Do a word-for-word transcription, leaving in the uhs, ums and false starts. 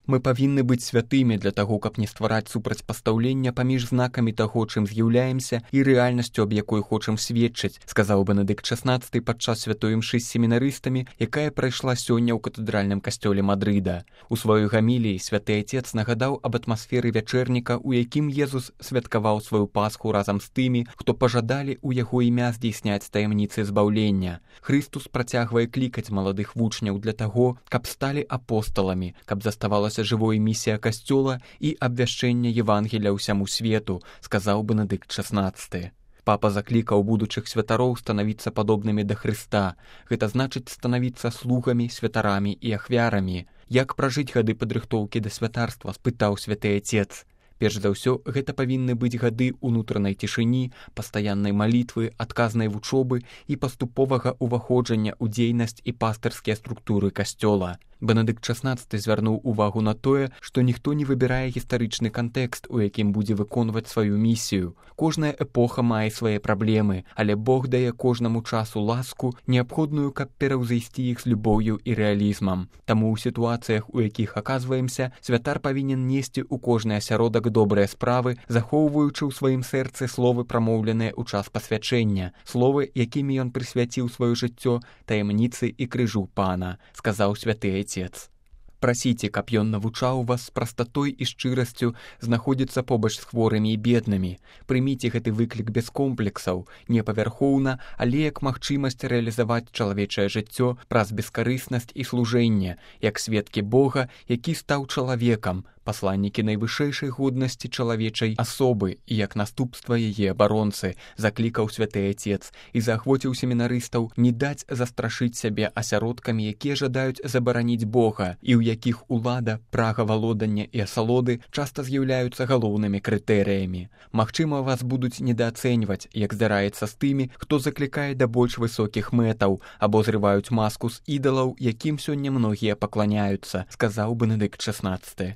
Мы павінны быць святымі для таго, каб не ствараць супрацьпастаўлення паміж знакамі таго, чым з'яўляемся, і рэальнасцю, аб якой хочам сведчыць, сказаў Бенедыкт шаснаццаты падчас святой імшы з семінарыстамі, якая прайшла сёння ў катэдральным касцёле Мадрыда. У сваёй гаміліі святы Отец нагадаў аб атмасферы вячэрніка, у якім Езус святкаваў сваю Пасху разам з тымі, хто пажадалі ў яго імя здзейсняць таямніцы збаўлення. Хрыстус працягвае клікаць маладых вучняў для таго, каб сталі апосталамі, каб заставалася жывой місія касцёла і абвяшчэнне Евангелія ўсяму свету, сказаў Бенедыкт шаснаццаты. Папа заклікаў будучых святароў станавіцца падобнымі да Хрыста. Гэта значыць станавіцца слугамі, святарамі і ахвярамі. Як пражыць гады падрыхтоўкі да святарства, спытаў святы Отец. Перш за ўсё, гэта павінны быць гады ўнутранай цішыні, пастаяннай малітвы, адказнай вучобы і паступовага ўваходжання ў дзейнасць і пастырскія структуры касцёла. Бенедыкт шаснаццаты звярнуў увагу на тое, што ніхто не выбірае гістарычны кантэкст, у якім будзе выконваць сваю місію. Кожная эпоха мае свае праблемы, але Бог дае кожнаму часу ласку, неабходную, каб пераўзайсці іх з любоўю і рэалізмам. Таму ў сітуацыях, у якіх аказваемся, святар павінен несці ў кожны асяродак добрыя справы, захоўваючы ў сваім сэрцы словы, прамоўленыя ў час пасвячэння, словы, якімі ён прысвяціў сваё жыццё таямніцы і крыжу Пана, сказаў святы Отец. Прасіце, каб ён навучаў вас з прастатой і шчырасцю знаходзіцца побач з хворымі і беднымі. Прыміце гэты выклік без комплексаў, не павярхоўна, але як магчымасць рэалізаваць чалавечае жыццё праз бескарыснасць і служэнне, як сведкі Бога, які стаў чалавекам, пасланнікі найвышэйшай годнасці чалавечай асобы і як наступства яе абаронцы, заклікаў святы Отец і заахвоціў семінарыстаў не даць застрашыць сябе асяродкамі, якія жадаюць забараніць Бога і ў якіх улада, прага валодання і асалоды часта з'яўляюцца галоўнымі крытэрыямі. Магчыма, вас будуць недаацэньваць, як здараецца з тымі, хто заклікае да больш высокіх мэтаў або зрываюць маску з ідалаў, якім сёння многія пакланяюцца, сказаў Бенедыкт шаснаццаты.